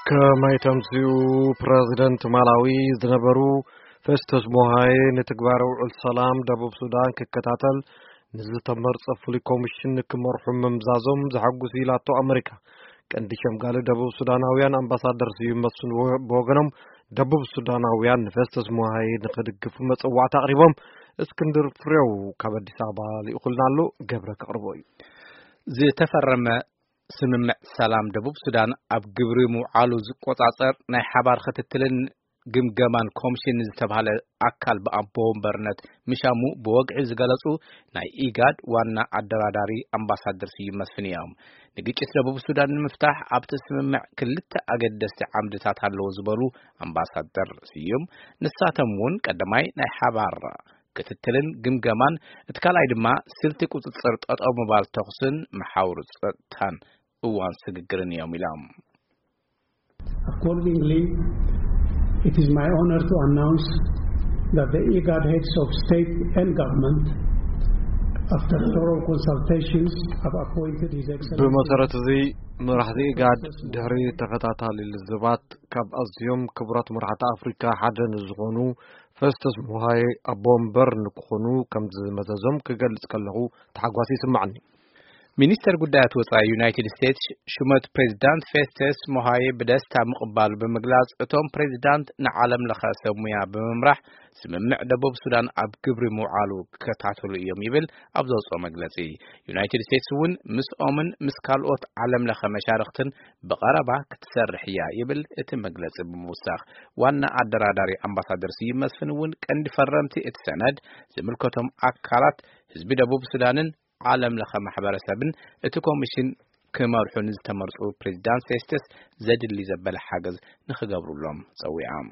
ከማይ ተምስኡ፣ ፕረዚደንት ማላዊ ዝነበሩ ፌስቶስ ሞሃዬ ንትግባረ ውዕል ሰላም ደቡብ ሱዳን ክከታተል ንዝተመርጸ ፍሉይ ኮሚሽን ክመርሑ ምምዛዞም ዘሐጉስ ኢላቶ ኣመሪካ። ቀንዲ ሸምጋሊ ደቡብ ሱዳናውያን ኣምባሳደር ስዩም መስፍን ብወ-፣ ብወገኖም፣ ደቡብ ሱዳናውያን ንፌስቶስ ሞሃዬ ንኽድግፉ መጸዋዕታ ኣቕሪቦም። እስክንድር ፍሬው ካብ ኣዲስ ኣበባ ልኢኹልና ኣሎ፣ ገብረ ከቕርቦ እዩ። ዝተፈረመ ስምምዕ ሰላም ደቡብ ሱዳን ኣብ ግብሪ ምውዓሉ ዝቆጻጸር ናይ ሓባር ክትትልን ግምገማን ኮሚሽን ዝተባህለ ኣካል ብኣቦ ወንበርነት ምሻሙ ብወግዒ ዝገለጹ ናይ ኢጋድ ዋና ኣደራዳሪ ኣምባሳደር ስዩም መስፍን እዮም። ንግጭት ደቡብ ሱዳን ንምፍታሕ ኣብቲ ስምምዕ ክልተ ኣገደስቲ ዓምድታት ኣለዎ ዝበሉ ኣምባሳደር ስዩም፣ ንሳቶም እውን ቀዳማይ ናይ ሓባር ክትትልን ግምገማን፣ እቲ ካልኣይ ድማ ስልቲ ቁጽጽር ጠጠው ምባል ተኹስን መሓውር ጸጥታን እዋን ስግግርን እዮም ኢሎም። Accordingly, it is my honor to announce that the IGAD heads of state and government, after thorough consultations, have appointed His Excellency ብመሰረት እዚ፣ መራሕቲ ኢጋድ ድሕሪ ተኸታታሊ ልዝባት ካብ ኣዝዮም ክቡራት መራሕቲ ኣፍሪካ ሓደ ንዝኾኑ ፌስቶስ ሞሃይ ኣቦ ወንበር ንክኾኑ ከም ዝመዘዞም ክገልጽ ከለኹ ተሓጓስ ይስማዕኒ። ሚኒስተር ጉዳያት ወጻኢ ዩናይትድ ስቴትስ ሹመት ፕሬዚዳንት ፌስቶስ ሞሃይ ብደስታ ምቕባሉ ብምግላጽ፣ እቶም ፕሬዚዳንት ንዓለም ለኸ ሰብ ሙያ ብምምራሕ ስምምዕ ደቡብ ሱዳን ኣብ ግብሪ ምውዓሉ ክከታተሉ እዮም ይብል ኣብ ዘውፅኦ መግለጺ። ዩናይትድ ስቴትስ እውን ምስኦምን ምስ ካልኦት ዓለም ለኸ መሻርኽትን ብቐረባ ክትሰርሕ እያ ይብል እቲ መግለጺ ብምውሳኽ። ዋና ኣደራዳሪ ኣምባሳደር ስዩም መስፍን እውን ቀንዲ ፈረምቲ እቲ ሰነድ ዝምልከቶም ኣካላት ህዝቢ ደቡብ ሱዳንን ዓለም ለኸ ማሕበረሰብን እቲ ኮሚሽን ክመርሑ ንዝተመርጹ ፕሬዚዳንት ፌስቶስ ዘድሊ ዘበለ ሓገዝ ንኽገብሩሎም ጸዊዖም።